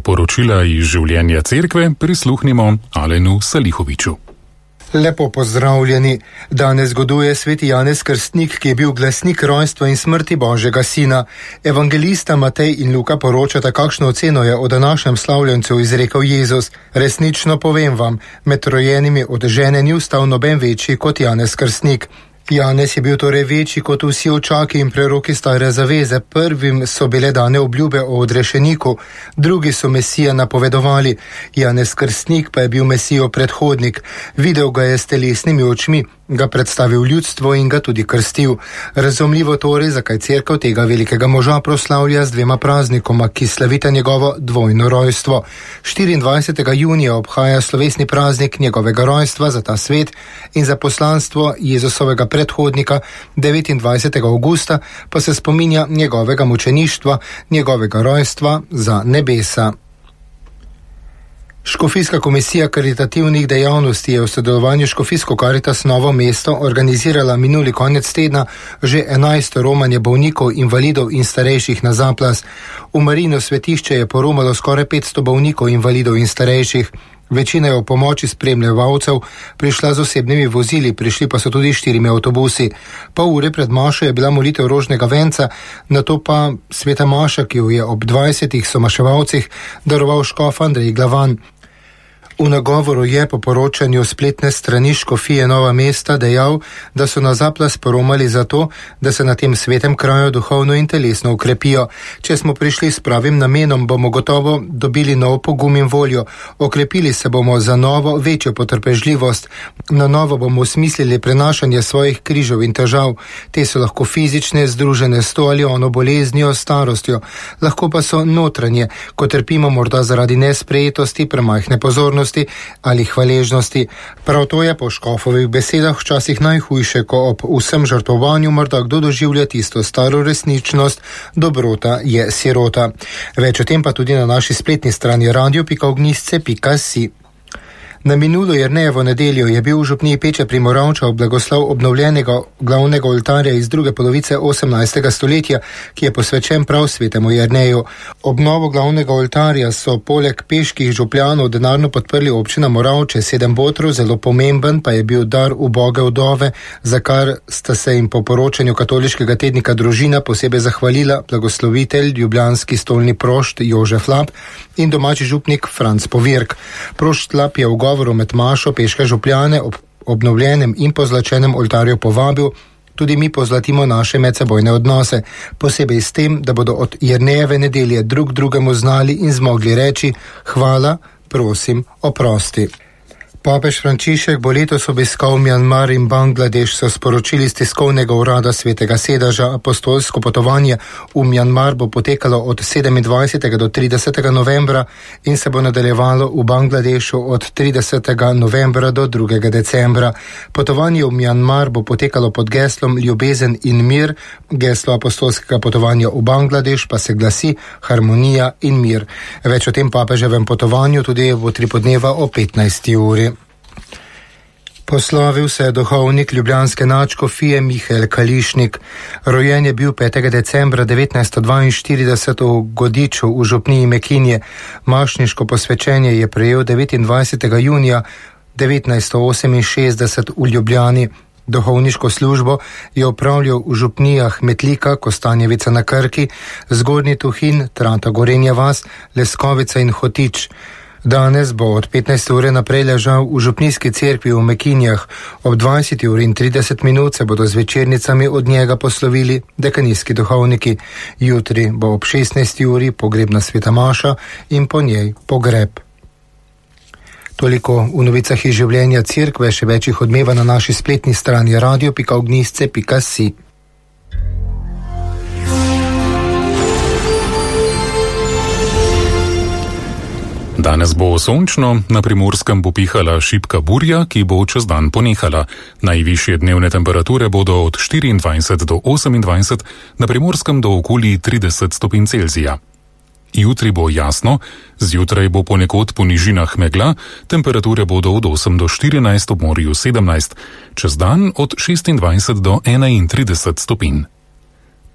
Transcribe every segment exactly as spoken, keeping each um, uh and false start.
Poročila iz življenja cerkve prisluhnimo Alenu Salihoviču. Lepo pozdravljeni. Danes goduje sveti Janez Krstnik, ki je bil glasnik rojstva in smrti Božjega sina. Evangelista Matej in Luka poročata, kakšno oceno je o današnjem slavljencu izrekel Jezus. Resnično povem vam, med rojenimi od žene ni vstal noben večji kot Janez Krstnik. Janez je bil torej večji kot vsi očaki in preroki stare zaveze. Prvim so bile dane obljube o odrešeniku, drugi so Mesija napovedovali. Janez Krstnik pa je bil Mesijo predhodnik. Videl ga je s telesnimi očmi, ga predstavil ljudstvo in ga tudi krstil. Razumljivo torej, zakaj cerkev tega velikega moža proslavlja z dvema praznikoma, ki slavita njegovo dvojno rojstvo. štiriindvajsetega junija obhaja slovesni praznik njegovega rojstva za ta svet in za poslanstvo Jezusovega predhodnika, devetindvajsetega avgusta pa se spominja njegovega mučeništva, njegovega rojstva za nebesa. Škofijska komisija karitativnih dejavnosti je v sodelovanju s Škofijsko Karitas Novo mesto organizirala minuli konec tedna že enajsto romanje bolnikov, invalidov in starejših na Zaplas. V Marijino svetišče je poromalo skoraj petsto bolnikov, invalidov in starejših. Večina je v pomoči spremljevalcev prišla z osebnimi vozili, prišli pa so tudi štirimi avtobusi. Pol ure pred mašo je bila molitev rožnega venca, nato pa sveta maša, ki jo je ob dvajsetih somaševalcih daroval škof Andrej Glavan. V nagovoru je po poročanju spletne strani Škofije Nova mesta dejal, da so na Zaplas poromali zato, da se na tem svetem kraju duhovno in telesno ukrepijo. Če smo prišli s pravim namenom, bomo gotovo dobili nov pogum in voljo. Okrepili se bomo za novo, večjo potrpežljivost. Na novo bomo osmislili prenašanje svojih križev in težav. Te so lahko fizične, združene s to ali ono boleznijo, starostjo. Lahko pa so notranje, ko trpimo morda zaradi nesprejetosti, premajhne pozornosti ali hvaležnosti. Prav to je po škofovih besedah včasih najhujše, ko ob vsem žrtvovanju morda kdo doživlja tisto staro resničnost, dobrota je sirota. Več o tem pa tudi na naši spletni strani radio pika ognjišče pika si. Na minulo Jernejevo nedeljo je bil v župniji Peče pri Moravčah blagoslov obnovljenega glavnega oltarja iz druge polovice osemnajstega stoletja, ki je posvečen prav svetemu Jerneju. Obnovo glavnega oltarja so poleg peških župljanov denarno podprli občina Moravče, sedem botrov, zelo pomemben pa je bil dar uboge vdove, za kar sta se jim po poročanju katoliškega tednika Družina posebej zahvalila blagoslovitelj, ljubljanski stolni prošt Jožef Lap in domači župnik Franc Povirk. Prošt Lap je v govoru med mašo peške župljane ob obnovljenem in pozlačenem oltarju povabil: tudi mi pozlatimo naše medsebojne odnose, posebej s tem, da bodo od Jernejeve nedelje drug drugemu znali in zmogli reči: hvala, prosim, oprosti. Papež Frančišek bo letos obiskal Mjanmar in Bangladeš, so sporočili z tiskovnega urada Svetega sedeža. Apostolsko potovanje v Mjanmar bo potekalo od sedemindvajsetega do tridesetega novembra in se bo nadaljevalo v Bangladešu od tridesetega novembra do drugega decembra. Potovanje v Mjanmar bo potekalo pod geslom Ljubezen in mir, geslo apostolskega potovanja v Bangladeš pa se glasi Harmonija in mir. Več o tem papeževem potovanju tudi v tripodneva o petnajsti uri. Poslovil se je duhovnik ljubljanske nadškofije Mihael Kališnik. Rojen je bil petega decembra devetnajststo dvainštirideset v Godiču v župniji Mekinje. Mašniško posvečenje je prejel devetindvajsetega junija devetnajststo oseminšestdeset v Ljubljani. Duhovniško službo je opravljal v župnijah Metlika, Kostanjevica na Krki, Zgornji Tuhin, Trata Gorenja vas, Leskovica in Hotič. Danes bo od petnajste ure naprej ležal v župnijski cerkvi v Mekinjah. Ob dvajseti uri in trideset minut se bodo z večernicami od njega poslovili dekanijski duhovniki. Jutri bo ob šestnajsti uri pogrebna sveta maša in po njej pogreb. Toliko v novicah iz življenja cerkve, še več jih odmeva na naši spletni strani radio pika ognjišče pika si. Danes bo sončno, na Primorskem bo pihala šibka burja, ki bo čez dan ponehala. Najvišje dnevne temperature bodo od štiriindvajset do osemindvajset, na Primorskem do okoli trideset stopinj Celzija. Jutri bo jasno, zjutraj bo ponekod po nižinah megla, temperature bodo od osem do štirinajst, ob morju sedemnajst, čez dan od šestindvajset do enaintrideset stopinj.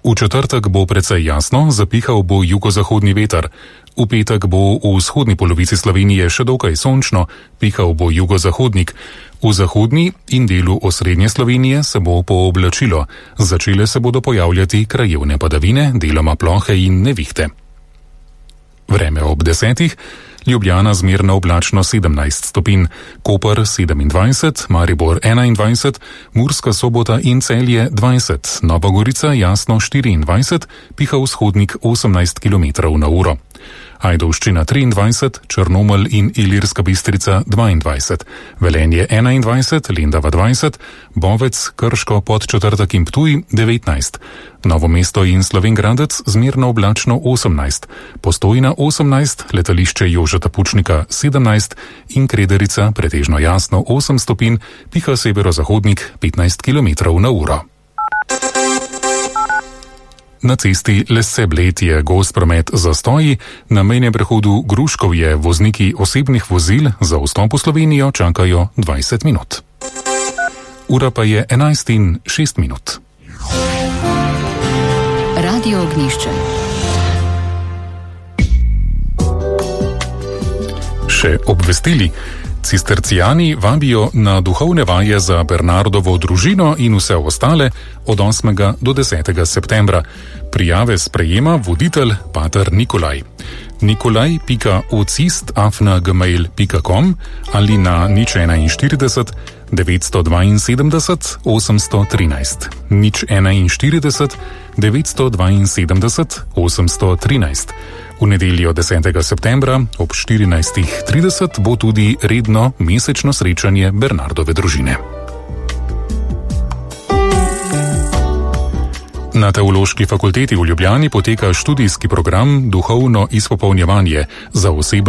V četrtek bo precej jasno, zapihal bo jugozahodni veter. V petek bo v vzhodni polovici Slovenije še dokaj sončno, pihal bo jugozahodnik. V zahodni in delu osrednje Slovenije se bo pooblačilo. Začele se bodo pojavljati krajevne padavine, deloma plohe in nevihte. Vreme ob desetih. Ljubljana zmerno oblačno sedemnajst stopinj, Koper sedemindvajset, Maribor enaindvajset, Murska Sobota in Celje dvajset, Nova Gorica jasno štiriindvajset, piha vzhodnik osemnajst kilometrov na uro. Ajdovščina triindvajset, Črnomelj in Ilirska Bistrica dvaindvajset, Velenje enaindvajset, Lendava dvajset, Bovec, Krško, Podčetrtek in Ptuj devetnajst, Novo mesto in Slovenj Gradec zmerno oblačno osemnajst, Postojna osemnajst, letališče Jožeta Pučnika sedemnajst in Krederica pretežno jasno osem stopinj, piha severozahodnik petnajst kilometrov na uro. Na cesti Lesse-Bled je gost promet zastoji, na mejnem prehodu Gruškovje vozniki osebnih vozil za vstop v Slovenijo čakajo dvajset minut. Ura pa je enajst in šest minut. Radio Ognjišče. Še obvestili. Cistercijani vabijo na duhovne vaje za Bernardovo družino in vse ostale od osmega do desetega septembra. Prijave sprejema voditelj pater Nikolaj. nikolaj pika ocist afna gmail pika com ali na nič enainštirideset devetsto dvainsedemdeset osemsto trinajst. nič enainštirideset devetsto dvainsedemdeset osemsto trinajst. V nedeljo desetega septembra ob štirinajstih trideset bo tudi redno mesečno srečanje Bernardove družine. Na Teološki fakulteti v Ljubljani poteka študijski program Duhovno izpopolnjevanje za osebno